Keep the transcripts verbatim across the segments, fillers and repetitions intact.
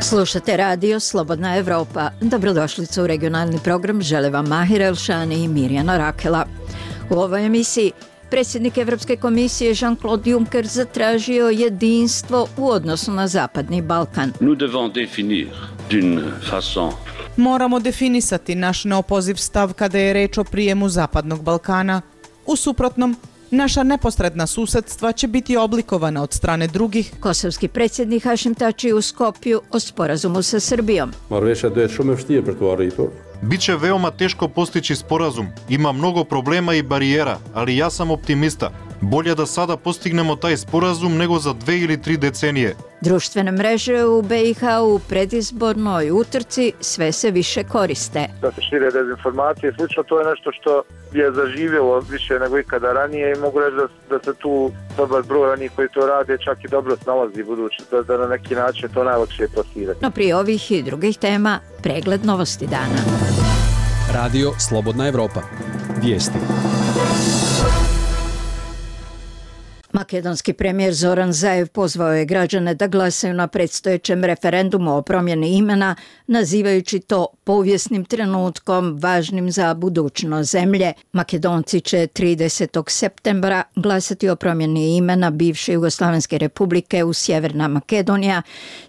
Slušate radio Slobodna Evropa. Dobrodošlicu u regionalni program. Žele vam Mahir Elšani i Mirjana Rakela. U ovoj emisiji predsjednik Evropske komisije Jean-Claude Juncker zatražio jedinstvo u odnosu na Zapadni Balkan. Moramo definisati naš neopoziv stav kada je reč o prijemu Zapadnog Balkana. U suprotnom, naša neposredna susedstva će biti oblikovana od strane drugih. Kosovski predsjednik Hašim Tači u Skopju o sporazumu sa Srbijom. Biće veoma teško postići sporazum. Ima mnogo problema i barijera, ali ja sam optimista. Bolje da sada postignemo taj sporazum nego za dve ili tri decenije. Društvene mreže u B i H u predizbornoj utrci sve se više koriste. Da se šire dezinformacije, slično, to je nešto što je zaživjelo više nego ikada ranije i mogu reći da, da se tu dobar broj onih koji to rade čak i dobro snalazi budući, da, da na neki način to najlakše plasirati. No prije ovih i drugih tema, pregled novosti dana. Radio Slobodna Evropa. Vijesti. Makedonski premijer Zoran Zaev pozvao je građane da glasaju na predstojećem referendumu o promjeni imena, nazivajući to povijesnim trenutkom važnim za budućnost zemlje. Makedonci će tridesetog septembra glasati o promjeni imena bivše Jugoslavenske republike u Sjeverna Makedonija,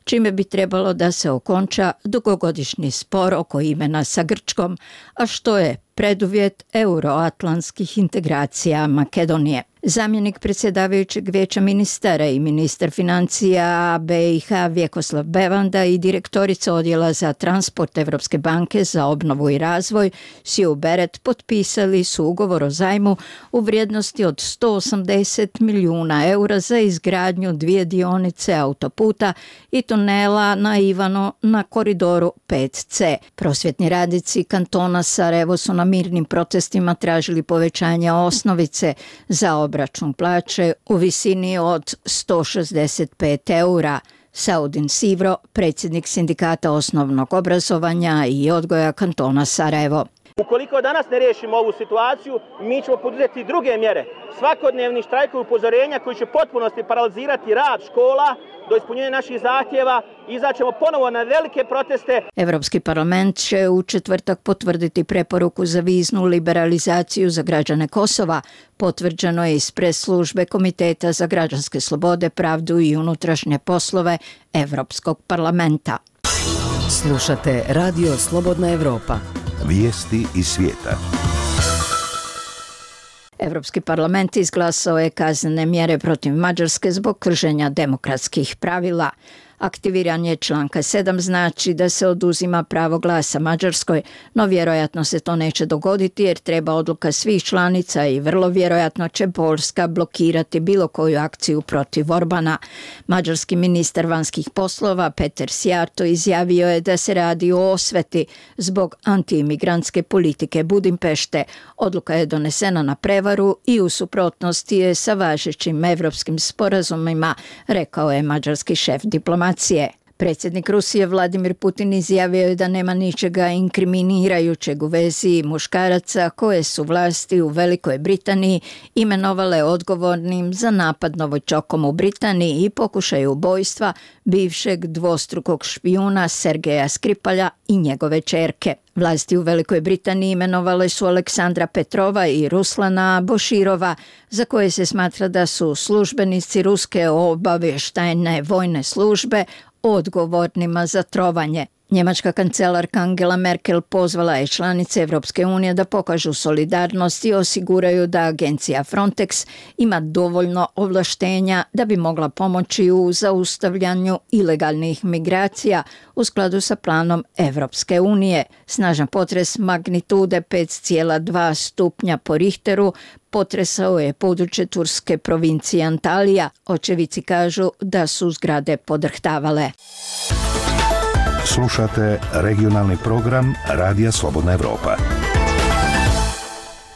čime bi trebalo da se okonča dugogodišnji spor oko imena sa Grčkom, a što je preduvjet euroatlantskih integracija Makedonije. Zamjenik predsjedavajućeg vijeća ministara i ministar financija B i H Vjekoslav Bevanda i direktorica odjela za transport Evropske banke za obnovu i razvoj Siju Beret potpisali su ugovor o zajmu u vrijednosti od sto osamdeset milijuna eura za izgradnju dvije dionice autoputa i tunela na Ivano na koridoru pet C. Prosvjetni radnici kantona Sarajevo su na mirnim protestima tražili povećanje osnovice za obračun plaće u visini od sto šezdeset pet eura. Saudin Sivro, predsjednik sindikata osnovnog obrazovanja i odgoja kantona Sarajevo. Ukoliko danas ne riješimo ovu situaciju, mi ćemo poduzeti druge mjere. Svakodnevni štrajkovi upozorenja koji će potpunosti paralizirati rad škola do ispunjenja naših zahtjeva, izaćemo ponovo na velike proteste. Evropski parlament će u četvrtak potvrditi preporuku za viznu liberalizaciju za građane Kosova. Potvrđeno je iz pres službe Komiteta za građanske slobode, pravdu i unutrašnje poslove Evropskog parlamenta. Slušate Radio Slobodna Evropa. Vijesti iz svijeta. Evropski parlament izglasao je kaznene mjere protiv Mađarske zbog kršenja demokratskih pravila. Aktiviranje članka sedam znači da se oduzima pravo glasa Mađarskoj, no vjerojatno se to neće dogoditi jer treba odluka svih članica i vrlo vjerojatno će Poljska blokirati bilo koju akciju protiv Orbana. Mađarski ministar vanjskih poslova Peter Szijjártó izjavio je da se radi o osveti zbog antiimigrantske politike Budimpešte. Odluka je donesena na prevaru i u suprotnosti je sa važećim evropskim sporazumima, rekao je mađarski šef diplomacije. Predsjednik Rusije Vladimir Putin izjavio je da nema ničega inkriminirajućeg u vezi muškaraca koje su vlasti u Velikoj Britaniji imenovale odgovornim za napad novorođenčetom u Britaniji i pokušaj ubojstva bivšeg dvostrukog špijuna Sergeja Skripalja i njegove ćerke. Vlasti u Velikoj Britaniji imenovale su Aleksandra Petrova i Ruslana Boširova, za koje se smatra da su službenici ruske obavještajne vojne službe odgovornima za trovanje. Njemačka kancelarka Angela Merkel pozvala je članice Evropske unije da pokažu solidarnost i osiguraju da agencija Frontex ima dovoljno ovlaštenja da bi mogla pomoći u zaustavljanju ilegalnih migracija u skladu sa planom Evropske unije. Snažan potres magnitude pet zarez dva stupnja po Richteru potresao je područje turske provincije Antalija. Očevici kažu da su zgrade podrhtavale. Slušate regionalni program Radija Slobodna Evropa.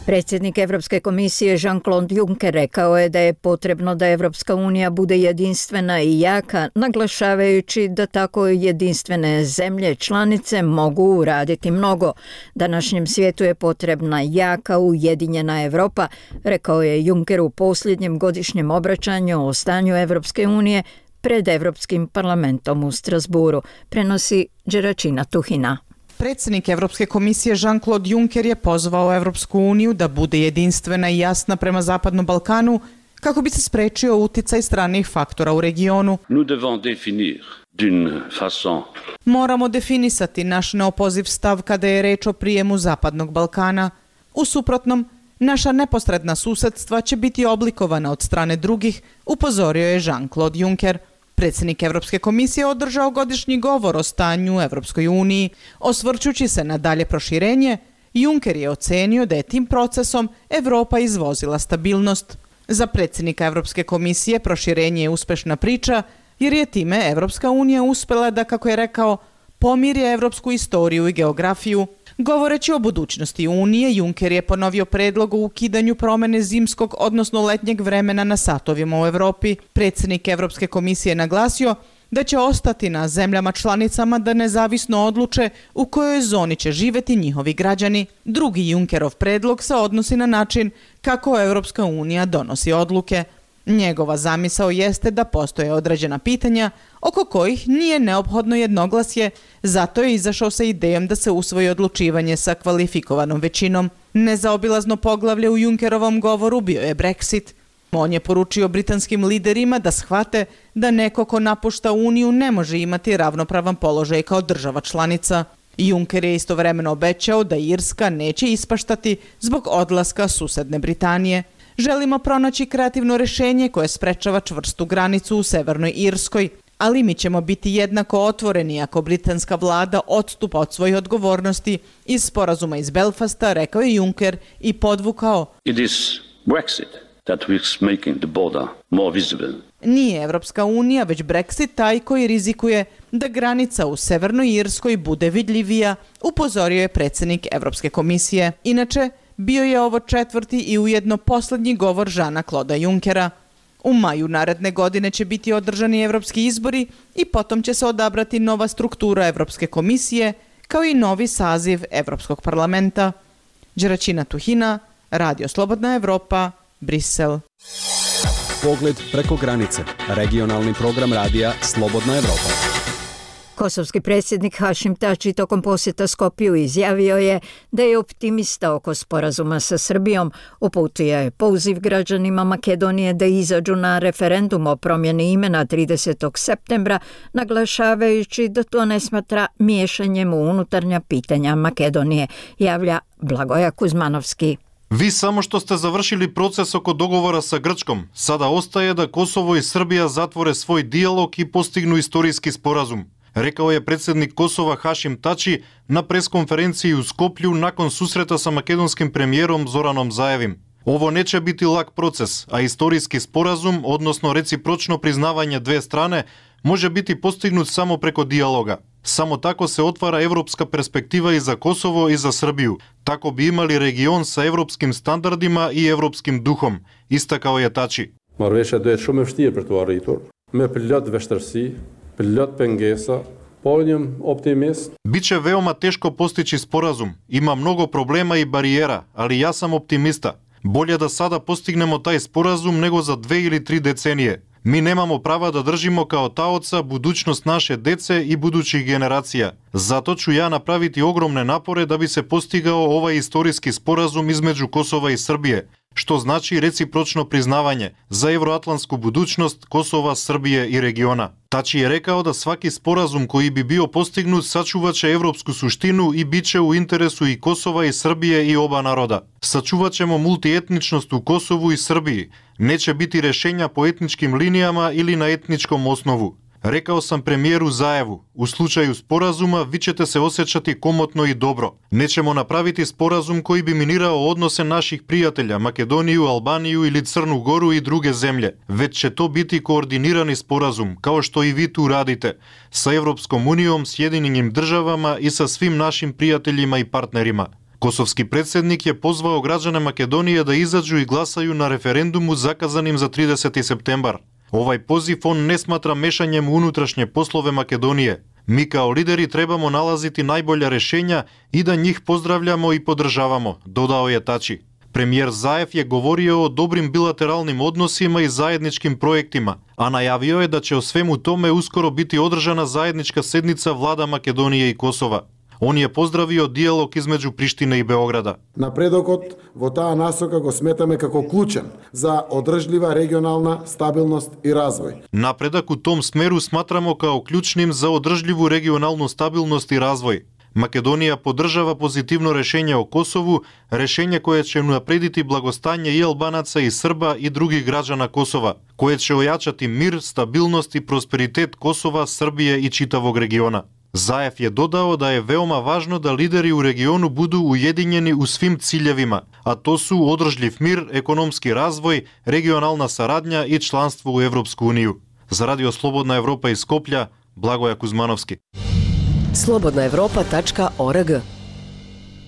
Predsjednik Evropske komisije Jean-Claude Juncker rekao je da je potrebno da Evropska unija bude jedinstvena i jaka, naglašavajući da tako jedinstvene zemlje članice mogu uraditi mnogo. Današnjem svijetu je potrebna jaka, ujedinjena Evropa, rekao je Juncker u posljednjem godišnjem obraćanju o stanju Evropske unije pred Evropskim parlamentom u Strasburu, prenosi Đeračina Tuhina. Predsjednik Evropske komisije Jean-Claude Juncker je pozvao Evropsku uniju da bude jedinstvena i jasna prema Zapadnom Balkanu kako bi se sprečio uticaj stranih faktora u regionu. Nous devons définir d'une façon. Moramo definisati naš neopoziv stav kada je reč o prijemu Zapadnog Balkana. U suprotnom, naša neposredna susedstva će biti oblikovana od strane drugih, upozorio je Jean-Claude Juncker. Predsjednik Evropske komisije održao godišnji govor o stanju u Evropskoj uniji. Osvrćući se na dalje proširenje, Juncker je ocenio da je tim procesom Evropa izvozila stabilnost. Za predsjednika Evropske komisije proširenje je uspešna priča, jer je time Evropska unija uspela da, kako je rekao, pomirje evropsku istoriju i geografiju. Govoreći o budućnosti Unije, Juncker je ponovio predlog o ukidanju promene zimskog, odnosno letnjeg vremena na satovima u Evropi. Predsjednik Evropske komisije je naglasio da će ostati na zemljama članicama da nezavisno odluče u kojoj zoni će živjeti njihovi građani. Drugi Junckerov predlog se odnosi na način kako Evropska unija donosi odluke. Njegova zamisao jeste da postoje određena pitanja oko kojih nije neophodno jednoglasje, zato je izašao sa idejom da se usvoji odlučivanje sa kvalifikovanom većinom. Nezaobilazno poglavlje u Junckerovom govoru bio je Brexit. On je poručio britanskim liderima da shvate da neko ko napušta Uniju ne može imati ravnopravan položaj kao država članica. Juncker je istovremeno obećao da Irska neće ispaštati zbog odlaska susedne Britanije. Želimo pronaći kreativno rješenje koje sprečava čvrstu granicu u Severnoj Irskoj, ali mi ćemo biti jednako otvoreni ako britanska vlada odstupa od svojih odgovornosti iz sporazuma iz Belfasta, rekao je Juncker i podvukao. It is Brexit that is making the border more visible. Nije Evropska unija, već Brexit taj koji rizikuje da granica u Severnoj Irskoj bude vidljivija, upozorio je predsjednik Evropske komisije. Inače, bio je ovo četvrti i ujedno posljednji govor Jeana-Claude Junckera. U maju naredne godine će biti održani evropski izbori i potom će se odabrati nova struktura Evropske komisije kao i novi saziv Evropskog parlamenta. Đeračina Tuhina, Radio Slobodna Evropa, Brisel. Pogled preko granice. Regionalni program radija Slobodna Evropa. Kosovski predsjednik Hašim Tači tokom posjeta Skopju izjavio je da je optimista oko sporazuma sa Srbijom, uputio je poziv građanima Makedonije da izađu na referendum o promjeni imena tridesetog septembra, naglašavajući da to ne smatra miješanjem u unutarnja pitanja Makedonije, javlja Blagoja Kuzmanovski. Vi samo što ste završili proces oko dogovora sa Grčkom, sada ostaje da Kosovo i Srbija zatvore svoj dijalog i postignu istorijski sporazum, rekao je predsjednik Kosova Hašim Tači na preskonferenciji u Skoplju nakon susreta sa makedonskim premijerom Zoranom Zaevim. Ovo neće biti lak proces, a istorijski sporazum, odnosno recipročno priznavanje dve strane, može biti postignut samo preko dijaloga. Samo tako se otvara evropska perspektiva i za Kosovo i za Srbiju. Tako bi imali region sa evropskim standardima i evropskim duhom, istakao je Tači. Marrëveshja do jetë shumë e vështirë për të arritur, me plot vështirësi, plot pengesa, po jam optimist. Biće veoma teško postići sporazum. Ima mnogo problema i barijera, ali ja sam optimista. Bolje da sada postignemo taj sporazum nego za dve ili tri decenije. Mi nemamo prava da držimo kao taoca budućnost naše dece i budućih generacija. Zato ću ja napraviti ogromne napore da bi se postigao ovaj istorijski sporazum između Kosova i Srbije, što znači recipročno priznavanje za evroatlantsku budućnost Kosova, Srbije i regiona. Tači je rekao da svaki sporazum koji bi bio postignut sačuvaće evropsku suštinu i bit će u interesu i Kosova i Srbije i oba naroda. Sačuvaćemo multietničnost u Kosovu i Srbiji. Neće biti rješenja po etničkim linijama ili na etničkom osnovu. Rekao sam premijeru Zaevu, u slučaju sporazuma vi ćete se osjećati komotno i dobro. Nećemo napraviti sporazum koji bi minirao odnose naših prijatelja, Makedoniju, Albaniju ili Crnu Goru i druge zemlje, već će to biti koordinirani sporazum, kao što i vi tu radite, sa Evropskom unijom, Sjedinjenim državama i sa svim našim prijateljima i partnerima. Kosovski predsjednik je pozvao građane Makedonije da izađu i glasaju na referendumu zakazanim za trideseti septembar. Ovaj poziv on ne smatra mešanjem u unutrašnje poslove Makedonije. Mi kao lideri trebamo nalaziti najbolja rješenja i da njih pozdravljamo i podržavamo, dodao je Tači. Премиер Заев je govorio o dobrim bilateralnim odnosima i zajedničkim projektima, a najavio je da će o svemu tome uskoro biti održana zajednička sednica vlada Makedonije i Kosova. On je pozdravio dijalog između Prištine i Beograda. Напредокот во таа насока го сметаме како клучен за одржлива регионална стабилност и развој. Напредак u tom smeru smatramo kao ključnim za održljivu regionalnu stabilnost i razvoj. Македонија поддржава позитивно решење о Косову, решење кое ќе унапредити благостање и албанаца и Срба и други граѓана Косова, кое ќе ојачати мир, стабилност и просперитет Косова, Србија и читавог региона. Заев je dodao da je veoma važno da lideri u regionu budu ujedinjeni u svim ciljevima, a to su održljiv mir, ekonomski razvoj, regionalna saradnja i članstvo u Evropsku uniju. Za Radio Slobodna Evropa iz Skoplja, Blagoja Kuzmanovski. slobodna evropa tačka org.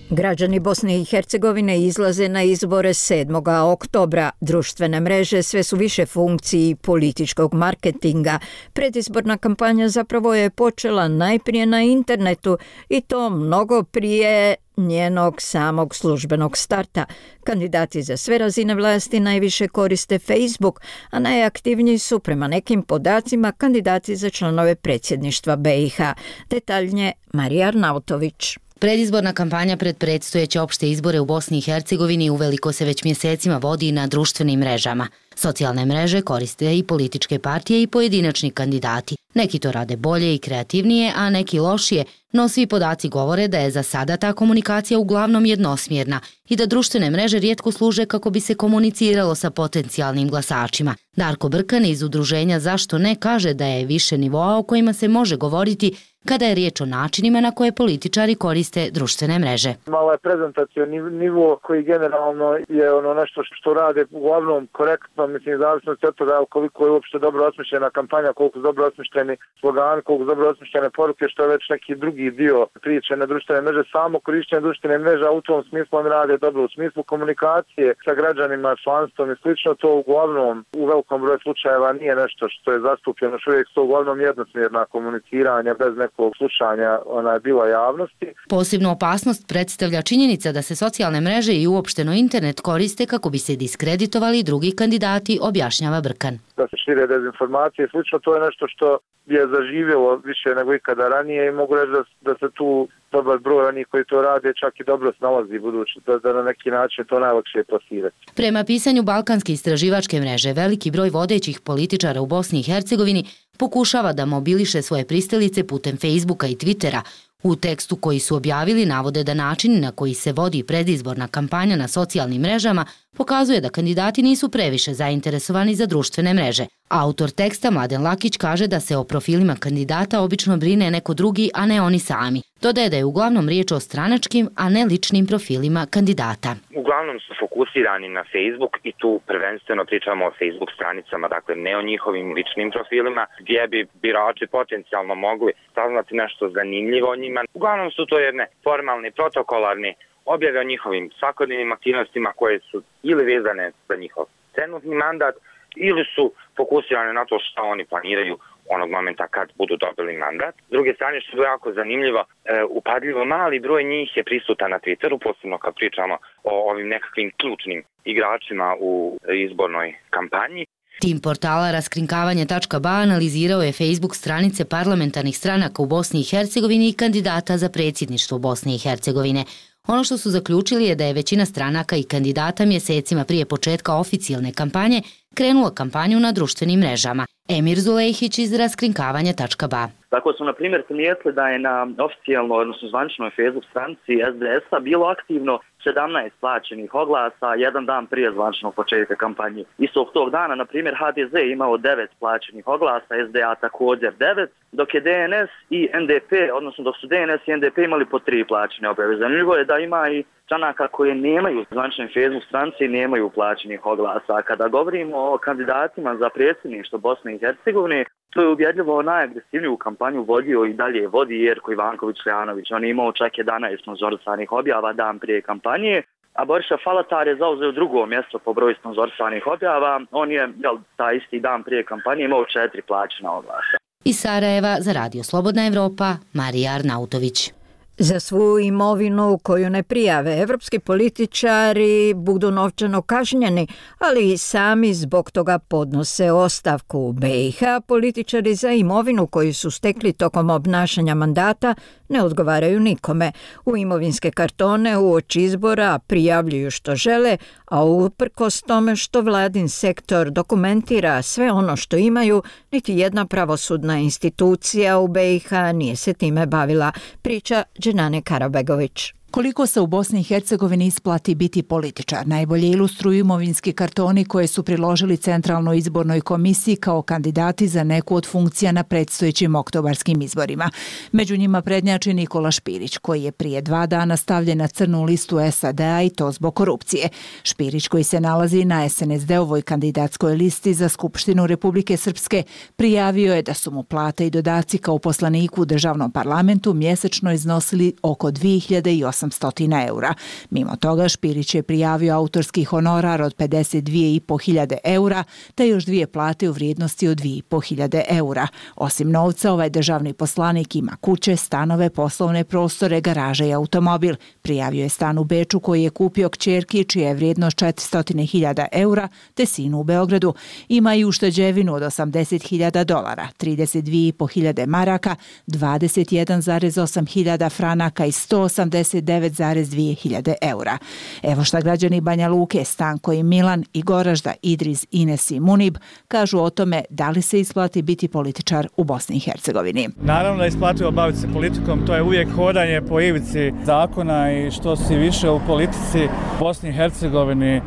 Građani Bosne i Hercegovine izlaze na izbore sedmoga oktobra. Društvene mreže sve su više funkciji političkog marketinga. Predizborna kampanja zapravo je počela najprije na internetu i to mnogo prije njenog samog službenog starta. Kandidati za sve razine vlasti najviše koriste Facebook, a najaktivniji su prema nekim podacima kandidati za članove predsjedništva be i ha. Detaljnije Marija Arnautović. Predizborna kampanja pred predstojeće opšte izbore u Bosni i Hercegovini uveliko se već mjesecima vodi na društvenim mrežama. Socijalne mreže koriste i političke partije i pojedinačni kandidati. Neki to rade bolje i kreativnije, a neki lošije, no svi podaci govore da je za sada ta komunikacija uglavnom jednosmjerna i da društvene mreže rijetko služe kako bi se komuniciralo sa potencijalnim glasačima. Darko Brkan iz udruženja Zašto ne kaže da je više nivoa o kojima se može govoriti kada je riječ o načinima na koje političari koriste društvene mreže. Malo je prezentacioni nivo koji generalno je ono nešto što rade uglavnom korektno, mislim, zavisno od toga koliko je uopšte dobro osmišljena kampanja, koliko su dobro osmišljeni slogani, koliko su dobro osmišljene poruke, što je već neki drugi dio priče na društvene mreže. Samo korištenje društvene mreže u tom smislu oni rade dobro, u smislu komunikacije sa građanima, članstvom i slično, to uglavnom u velikom broju slučajeva nije nešto što je zastupljeno, što uvijek su uglavnom jednosmjerna komuniciranja bez nekog slušanja ona je bila javnosti. Posebnu opasnost predstavlja činjenica da se socijalne mreže i uopšteno internet koriste kako bi se diskreditovali drugi kandidati, objašnjava Brkan. Da se šire dezinformacije i slično, to je nešto što je zaživjelo više nego ikada ranije i mogu reći da, da se tu dobar broj onih koji to rade čak i dobro snalazi budući, da, da na neki način to najlakše je plasirati. Prema pisanju Balkanske istraživačke mreže, veliki broj vodećih političara u Bosni i Hercegovini pokušava da mobiliše svoje pristalice putem Facebooka i Twittera. U tekstu koji su objavili navode da način na koji se vodi predizborna kampanja na socijalnim mrežama pokazuje da kandidati nisu previše zainteresovani za društvene mreže. Autor teksta Mladen Lakić kaže da se o profilima kandidata obično brine neko drugi, a ne oni sami. Dodaje da je uglavnom riječ o stranačkim, a ne ličnim profilima kandidata. Uglavnom su fokusirani na Facebook i tu prvenstveno pričamo o Facebook stranicama, dakle ne o njihovim ličnim profilima, gdje bi birači potencijalno mogli saznati nešto zanimljivo o njima. Uglavnom su to jedne formalne, protokolarne objave o njihovim svakodnevnim aktivnostima koje su ili vezane za njihov trenutni mandat ili su fokusirane na to što oni planiraju onog momenta kad budu dobili mandat. S druge strane, što je jako zanimljivo, e, upadljivo mali broj njih je prisutan na Twitteru, posebno kad pričamo o ovim nekakvim ključnim igračima u izbornoj kampanji. Tim portala raskrinkavanje tačka ba analizirao je Facebook stranice parlamentarnih stranaka u Bosni i Hercegovini i kandidata za predsjedništvo Bosne i Hercegovine. Ono što su zaključili je da je većina stranaka i kandidata mjesecima prije početka oficijalne kampanje krenula kampanju na društvenim mrežama. Emir Zulejhić iz raskrinkavanja tačka ba. Tako smo, na primjer, primijetili da je na oficijalno, odnosno zvančnoj Facebook stranici es de es-a bilo aktivno sedamnaest plaćenih oglasa jedan dan prije zvančnog početka kampanje. Istog tog dana, na primjer, ha de ze imao devet plaćenih oglasa, es de a također devet, dok je de en es i en de pe, odnosno dok su de en es i en de pe imali po tri plaćene objave. Zanimljivo je da ima i stranaka koje nemaju zvančne Facebook stranice i nemaju plaćenih oglasa. Kada govorimo o kandidatima za predsjedništvo Bosne i Hercegovine, to je ubjedljivo najagresivniju kampanju vodio i dalje vodi Jerko Ivanković-Ljanović. On je imao čak jedanaest sponzorisanih objava dan prije kampanje, a Boriša Falatar je zauzeo drugo mjesto po broju sponzorisanih objava. On je, jel, taj isti dan prije kampanje imao četiri plaćena oglasa. Iz Sarajeva za Radio Slobodna Evropa, Marija Arnautović. Za svu imovinu koju ne prijave, evropski političari budu novčano kažnjeni, ali i sami zbog toga podnose ostavku. U B i H političari za imovinu koju su stekli tokom obnašanja mandata ne odgovaraju nikome. U imovinske kartone uoči izbora prijavljuju što žele, a uprkos tome što vladin sektor dokumentira sve ono što imaju, niti jedna pravosudna institucija u B i H nije se time bavila, priča Dženane Karabegović. Koliko se u Bosni i Hercegovini isplati biti političar, najbolje ilustruju imovinski kartoni koje su priložili Centralnoj izbornoj komisiji kao kandidati za neku od funkcija na predstojećim oktobarskim izborima. Među njima prednjači Nikola Špirić, koji je prije dva dana stavljen na crnu listu S A D-a i to zbog korupcije. Špirić, koji se nalazi na S N S D-ovoj kandidatskoj listi za Skupštinu Republike Srpske, prijavio je da su mu plate i dodaci kao poslaniku u državnom parlamentu mjesečno iznosili oko dvije hiljade osamsto eura. Mimo toga, Špirić je prijavio autorski honorar od pedeset dvije i po hiljade eura, te još dvije plate u vrijednosti od dvije i po hiljade eura. Osim novca, ovaj državni poslanik ima kuće, stanove, poslovne prostore, garaže i automobil. Prijavio je stan u Beču koji je kupio kćerki, čija je vrijednost četiristo hiljada eura, te sinu u Beogradu. Ima i ušteđevinu od osamdeset hiljada dolara, trideset dvije i po hiljade maraka, dvadeset jedan zarez osam hiljada franaka i sto osamdeset devet zarez dvije hiljade eura. Evo šta građani Banja Luke, Stanko i Milan i Goražda, Idris, Ines i Munib kažu o tome da li se isplati biti političar u Bosni i Hercegovini. Naravno da je isplativo baviti se politikom, to je uvijek hodanje po ivici zakona i što si više u politici u Bosni i Hercegovini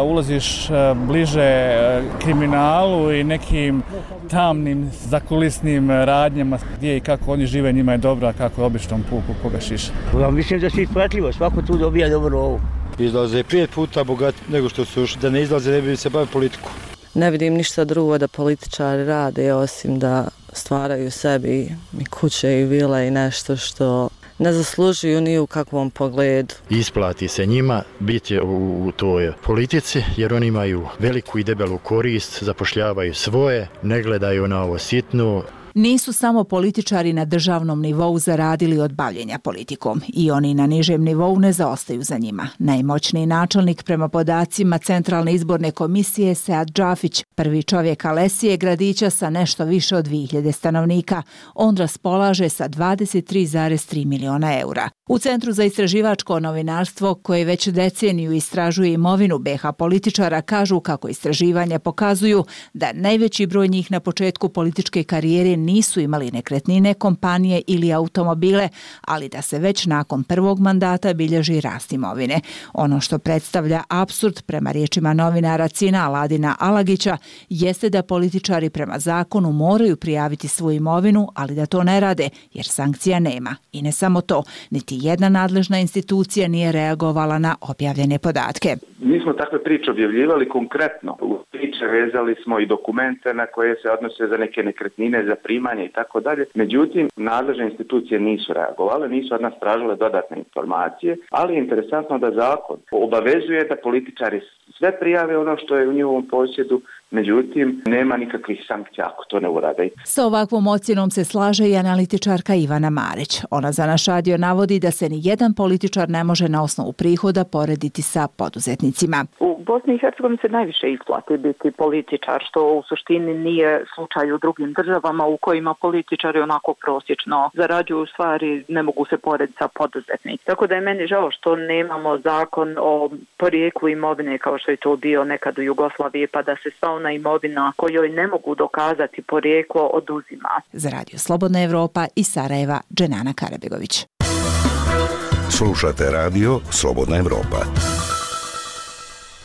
ulaziš bliže kriminalu i nekim tamnim zakulisnim radnjama gdje i kako oni žive, njima je dobro, a kako je običnom puku koga šiša. Ja mislim da se isplatljivo, svako tu dobija dobro ovo. Izlaze pet puta bogat nego što su još, da ne izlaze ne bi se bavili politiku. Ne vidim ništa drugo da političari rade osim da stvaraju sebi i kuće i vile i nešto što ne zaslužuju ni u kakvom pogledu. Isplati se njima biti u toj politici jer oni imaju veliku i debelu korist, zapošljavaju svoje, ne gledaju na ovo sitno. Nisu samo političari na državnom nivou zaradili od bavljenja politikom. I oni na nižem nivou ne zaostaju za njima. Najmoćniji načelnik prema podacima Centralne izborne komisije Sead Džafić, prvi čovjek Alesije, gradića sa nešto više od dvije hiljade stanovnika. On raspolaže sa dvadeset tri zarez tri miliona eura. U Centru za istraživačko novinarstvo, koje već deceniju istražuje imovinu B H političara, kažu kako istraživanja pokazuju da najveći broj njih na početku političke karijere nisu imali nekretnine, kompanije ili automobile, ali da se već nakon prvog mandata bilježi rast imovine. Ono što predstavlja apsurd prema riječima novinara Cina Aladina Alagića jeste da političari prema zakonu moraju prijaviti svoju imovinu, ali da to ne rade jer sankcija nema. I ne samo to, niti jedna nadležna institucija nije reagovala na objavljene podatke. Mi smo takve priče objavljivali konkretno. U priče vezali smo i dokumente na koje se odnose za neke nekretnine, za primanje i tako dalje. Međutim, nadležne institucije nisu reagovale, nisu od nas tražile dodatne informacije, ali je interesantno da zakon obavezuje da političari sve prijave ono što je u njihovom posjedu, međutim, nema nikakvih sankcija ako to ne urade. Sa ovakvom ocjenom se slaže i analitičarka Ivana Marić. Ona za naš radio navodi da se ni jedan političar ne može na osnovu prihoda porediti sa poduzetnicima. U Bosni i Hercegovini se najviše isplati biti političar, što u suštini nije slučaj u drugim državama u kojima političari onako prosječno zarađuju, stvari ne mogu se porediti sa poduzetnicima. Tako da je meni žao što nemamo zakon o porijeklu imovine kao što je to bio nekad u Jugoslaviji, pa da se sva ona imovina kojoj ne mogu dokazati porijeklo oduzima. Za Radio Slobodna Evropa iz Sarajeva, Dženana Karabegović. Slušate Radio Slobodna Evropa.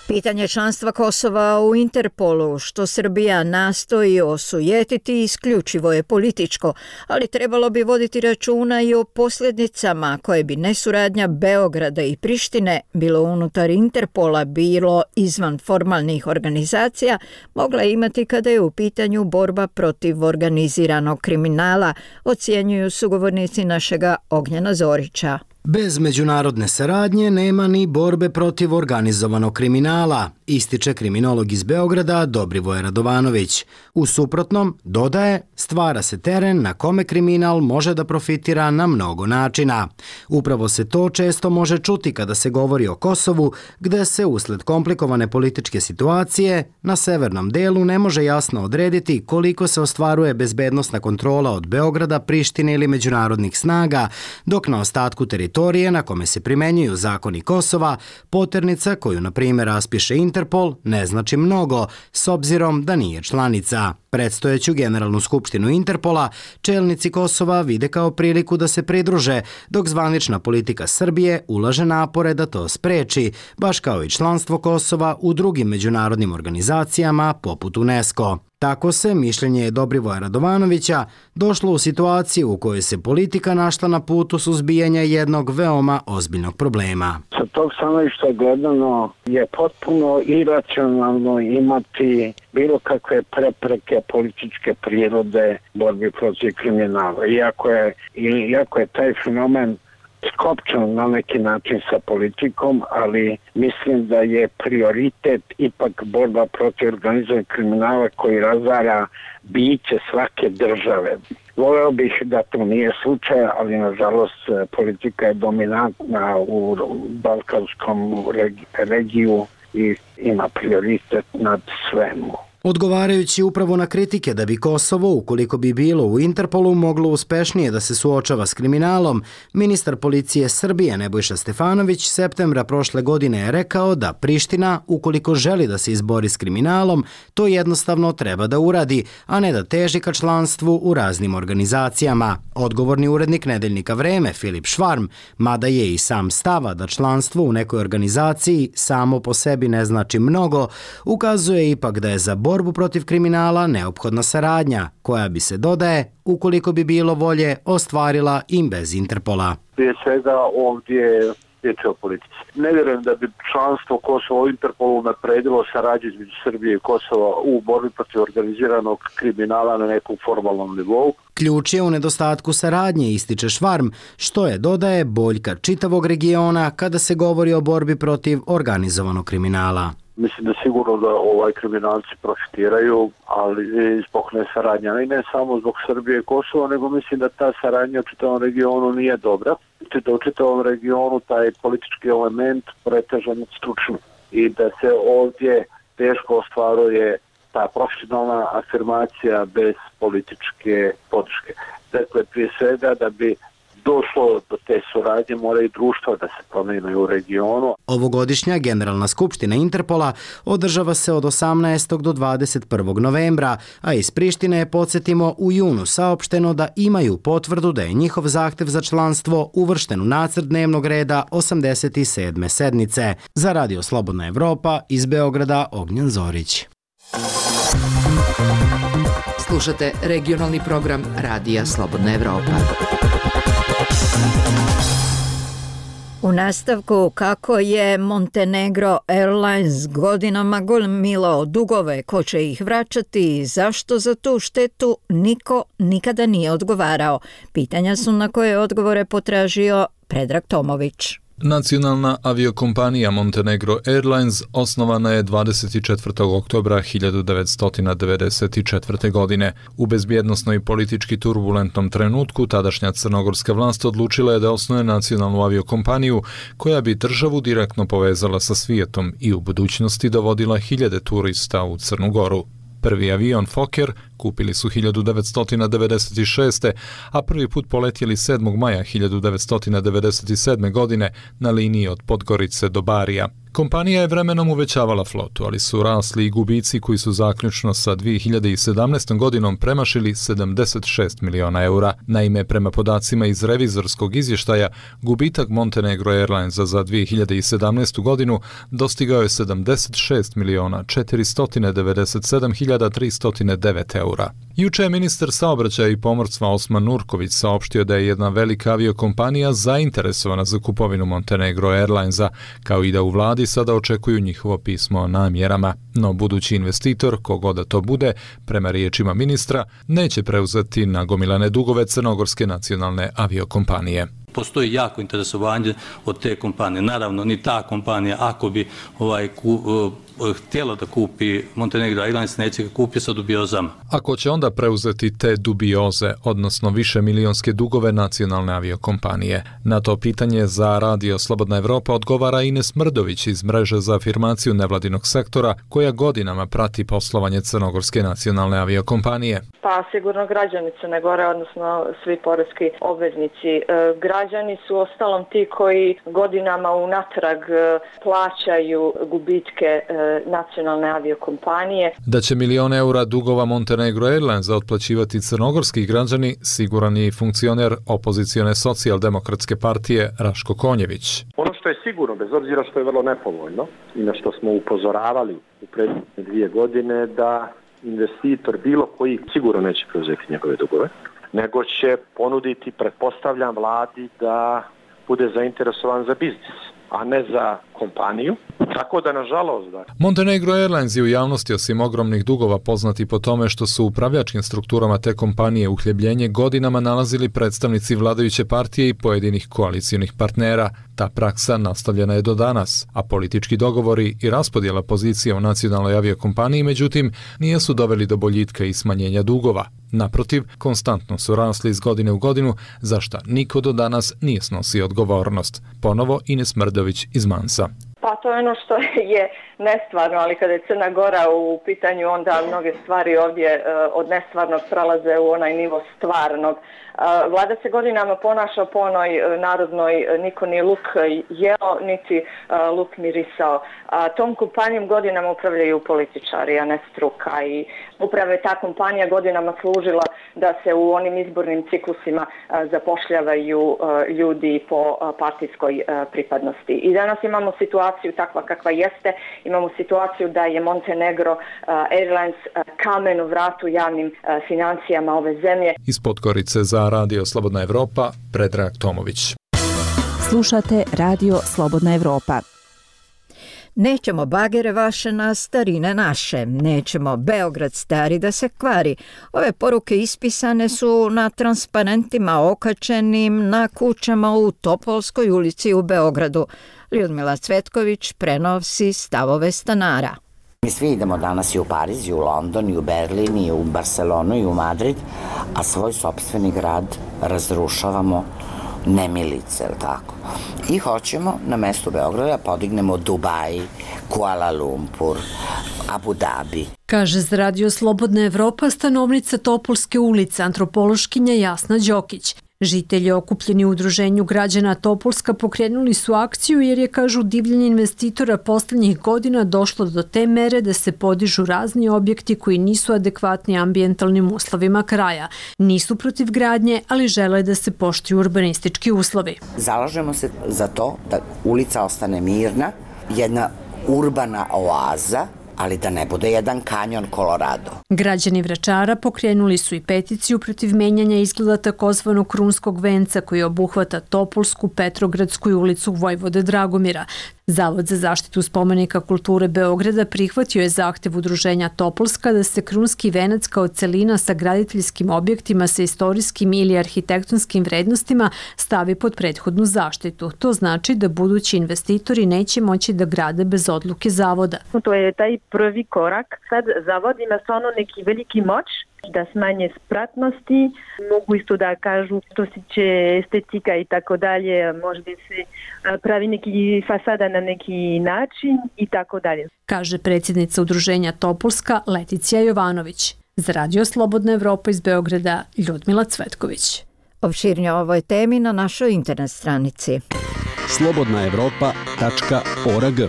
Pitanje članstva Kosova u Interpolu, što Srbija nastoji osujetiti, isključivo je političko, ali trebalo bi voditi računa i o posljedicama koje bi nesuradnja Beograda i Prištine, bilo unutar Interpola, bilo izvan formalnih organizacija, mogla imati kada je u pitanju borba protiv organiziranog kriminala, ocjenjuju sugovornici našega Ognjena Zorića. Bez međunarodne saradnje nema ni borbe protiv organizovanog kriminala, ističe kriminolog iz Beograda Dobrivoje Radovanović. U suprotnom, dodaje, stvara se teren na kome kriminal može da profitira na mnogo načina. Upravo se to često može čuti kada se govori o Kosovu, gde se usled komplikovane političke situacije na severnom delu ne može jasno odrediti koliko se ostvaruje bezbednosna kontrola od Beograda, Prištine ili međunarodnih snaga, dok na ostatku teritorije na kome se primenjuju zakoni Kosova, poternica koju, na primjer, raspiše Interpol, ne znači mnogo, s obzirom da nije članica. Predstojeću Generalnu skupštinu Interpola čelnici Kosova vide kao priliku da se pridruže, dok zvanična politika Srbije ulaže napore da to spreči, baš kao i članstvo Kosova u drugim međunarodnim organizacijama poput UNESCO. Tako se, mišljenje Dobrivoja Radovanovića, došlo u situaciju u kojoj se politika našla na putu suzbijanja jednog veoma ozbiljnog problema. Sa tog stanovišta gledano je potpuno iracionalno imati bilo kakve prepreke političke prirode borbi protiv kriminala. Iako je, iako je taj fenomen skopčan na neki način sa politikom, ali mislim da je prioritet ipak borba protiv organizovanog kriminala koji razara biće svake države. Voleo bih da to nije slučaj, ali nažalost politika je dominantna u balkanskom regiju i ima prioritet nad svemu. Odgovarajući upravo na kritike da bi Kosovo, ukoliko bi bilo u Interpolu, moglo uspešnije da se suočava s kriminalom, ministar policije Srbije Nebojša Stefanović septembra prošle godine je rekao da Priština, ukoliko želi da se izbori s kriminalom, to jednostavno treba da uradi, a ne da teži ka članstvu u raznim organizacijama. Odgovorni urednik nedeljnika Vreme, Filip Švarm, mada je i sam stava da članstvo u nekoj organizaciji samo po sebi ne znači mnogo, ukazuje ipak da je za borbu protiv kriminala neophodna saradnja, koja bi se, dodaje, ukoliko bi bilo volje, ostvarila i bez Interpola. Prije svega ovdje riječ o politici. Ne vjerujem da bi članstvo Kosova u Interpolu napredilo saradnju između Srbije i Kosova u borbi protiv organiziranog kriminala na nekom formalnom nivou. Ključ je u nedostatku saradnje, ističe Švarm, što je, dodaje, boljka čitavog regiona kada se govori o borbi protiv organizovanog kriminala. Mislim da sigurno da ovaj kriminalci profitiraju, ali zbog nesaradnja. I ne samo zbog Srbije i Kosova, nego mislim da ta saradnja u čitavom regionu nije dobra. Da u čitavom regionu taj politički element preteža nad stručnim. I da se ovdje teško ostvaruje ta profesionalna afirmacija bez političke podrške. Dakle, prije svega da bi došlo do te suradnje, mora i društva da se promijene u regionu. Ovogodišnja Generalna skupština Interpola održava se od osamnaestog do dvadeset prvog novembra, a iz Prištine je, podsjetimo, u junu saopšteno da imaju potvrdu da je njihov zahtev za članstvo uvršten u nacrt dnevnog reda osamdeset sedme sednice. Za Radio Slobodna Evropa, iz Beograda, Ognjen Zorić. Slušate regionalni program Radija Slobodna Evropa. U nastavku, kako je Montenegro Airlines godinama gomilao dugove, ko će ih vraćati i zašto za tu štetu niko nikada nije odgovarao. Pitanja su na koje odgovore potražio Predrag Tomović. Nacionalna aviokompanija Montenegro Airlines osnovana je dvadeset četvrtog oktobra hiljadu devetsto devedeset četvrte. godine. U bezbjednosno i politički turbulentnom trenutku tadašnja crnogorska vlast odlučila je da osnuje nacionalnu aviokompaniju koja bi državu direktno povezala sa svijetom i u budućnosti dovodila hiljade turista u Crnu Goru. Prvi avion Fokker kupili su hiljadu devetsto devedeset šeste. a prvi put poletjeli sedmog maja hiljadu devetsto devedeset sedme. godine na liniji od Podgorice do Barija. Kompanija je vremenom uvećavala flotu, ali su rasli i gubici koji su zaključno sa dvije hiljade sedamnaestom. godinom premašili sedamdeset šest miliona eura. Naime, prema podacima iz revizorskog izvještaja, gubitak Montenegro Airlinesa za dvije hiljade sedamnaestu. godinu dostigao je sedamdeset šest miliona četiristo devedeset sedam hiljada tristo devet eura. Juče je ministar saobraćaja i pomorstva Osman Nurković saopštio da je jedna velika aviokompanija zainteresovana za kupovinu Montenegro Airlinesa, kao i da u vladi sada očekuju njihovo pismo o namjerama. No budući investitor, kogo da to bude, prema riječima ministra, neće preuzeti nagomilane dugove Crnogorske nacionalne aviokompanije. postoji jako interesovanje od te kompanije. Naravno, ni ta kompanija, ako bi ovaj, ku, htjela da kupi Montenegro Airlines, neće ga kupi sa dubiozama. Ako će onda preuzeti te dubioze, odnosno više milionske dugove nacionalne aviokompanije? Na to pitanje za Radio Slobodna Evropa odgovara Ines Mrdović iz mreže za afirmaciju nevladinog sektora, koja godinama prati poslovanje Crnogorske nacionalne aviokompanije. Pa sigurno građani Crne Gore, odnosno svi poreski obveznici. E, građani su ostalom ti koji godinama unatrag plaćaju gubitke e, nacionalne aviokompanije. Da će milion eura dugova Montenegro Airlines otplaćivati crnogorski građani, siguran je i funkcioner opozicione socijaldemokratske partije Raško Konjević. Ono što je sigurno, bez obzira što je vrlo nepovoljno i na što smo upozoravali u prethodne dvije godine, da investitor bilo koji sigurno neće preuzeti njegove dugove, nego će ponuditi, pretpostavljam, vladi da bude zainteresovan za biznis, a ne za kompaniju. Tako da, nažalost, da. Montenegro Airlines je u javnosti osim ogromnih dugova poznati po tome što su u upravljačkim strukturama te kompanije uhljebljenje godinama nalazili predstavnici vladajuće partije i pojedinih koalicijonih partnera. Ta praksa nastavljena je do danas, a politički dogovori i raspodjela pozicija u nacionalnoj aviokompaniji, međutim, nisu doveli do boljitka i smanjenja dugova. Naprotiv, konstantno su rasli iz godine u godinu, za šta niko do danas nije snosio odgovornost. Ponovo Ines Mrdović iz Mansa. Pa to je ono što je nestvarno, ali kada je Crna Gora u pitanju, onda mnoge stvari ovdje od nestvarnog prelaze u onaj nivo stvarnog. Vlada se godinama ponaša po onoj narodnoj, niko ni luk jeo, niti luk mirisao. Tom kompanijom godinama upravljaju političari, a ne struka, i upravo je ta kompanija godinama služila da se u onim izbornim ciklusima zapošljavaju ljudi po partijskoj pripadnosti. I danas imamo situaciju takva kakva jeste, imamo situaciju da je Montenegro Airlines kamen u vratu javnim financijama ove zemlje. Iz Podgorice za Radio Slobodna Evropa, Predrag Tomović. Slušate Radio Slobodna Evropa. Nećemo bagere vaše na starine naše, nećemo Beograd stari da se kvari. Ove poruke ispisane su na transparentima okačenim na kućama u Topolskoj ulici u Beogradu. Ljudmila Cvetković prenosi stavove stanara. Mi svi idemo danas i u Pariz, i u London, i u Berlin, i u Barcelonu, i u Madrid, a svoj sopstveni grad razrušavamo nemilice, ili tako. I hoćemo na mestu Beograda podignemo Dubai, Kuala Lumpur, Abu Dhabi. Kaže za Radio Slobodna Evropa stanovnica Topolske ulice, antropološkinja Jasna Đokić. Žitelji okupljeni u udruženju građana Topolska pokrenuli su akciju jer je, kažu, divljenje investitora poslednjih godina došlo do te mere da se podižu razni objekti koji nisu adekvatni ambijentalnim uslovima kraja. Nisu protiv gradnje, ali žele da se poštuju urbanistički uslovi. Zalažemo se za to da ulica ostane mirna, jedna urbana oaza, ali da ne bude jedan kanjon Colorado. Građani Vračara pokrenuli su i peticiju protiv menjanja izgleda takozvanog krunskog venca koji obuhvata Topolsku, Petrogradsku i ulicu Vojvode Dragomira. Zavod za zaštitu spomenika kulture Beograda prihvatio je zahtev udruženja Topolska da se krunski venac kao celina sa graditeljskim objektima sa istorijskim ili arhitektonskim vrednostima stavi pod prethodnu zaštitu. To znači da budući investitori neće moći da grade bez odluke zavoda. To je taj prvi korak. Sad zavod ima stvarno neki veliki moć da smanje spratnosti, mogu isto da kažu što se tiče estetika i tako dalje, možda se pravi neki fasada na neki način i tako dalje. Kaže predsjednica udruženja Topolska Leticija Jovanović. Za Radio Slobodna Evropa iz Beograda, Ljudmila Cvetković. Opširnije o ovoj temi na našoj internet stranici slobodna evropa tačka org.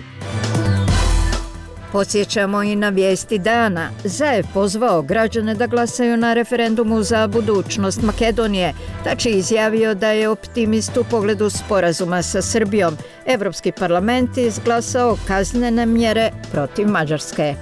Podsjećamo i na vijesti dana. Zaev pozvao građane da glasaju na referendumu za budućnost Makedonije. Tači izjavio da je optimist u pogledu sporazuma sa Srbijom. Evropski parlament izglasao kaznene mjere protiv Mađarske.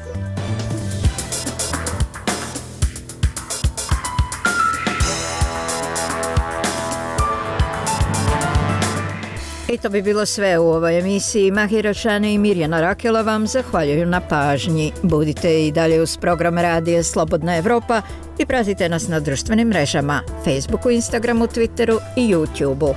I to bi bilo sve u ovoj emisiji. Mahira Šane i Mirjana Rakela vam zahvaljuju na pažnji. Budite i dalje uz program Radija Slobodna Evropa i pratite nas na društvenim mrežama, Facebooku, Instagramu, Twitteru i YouTubeu.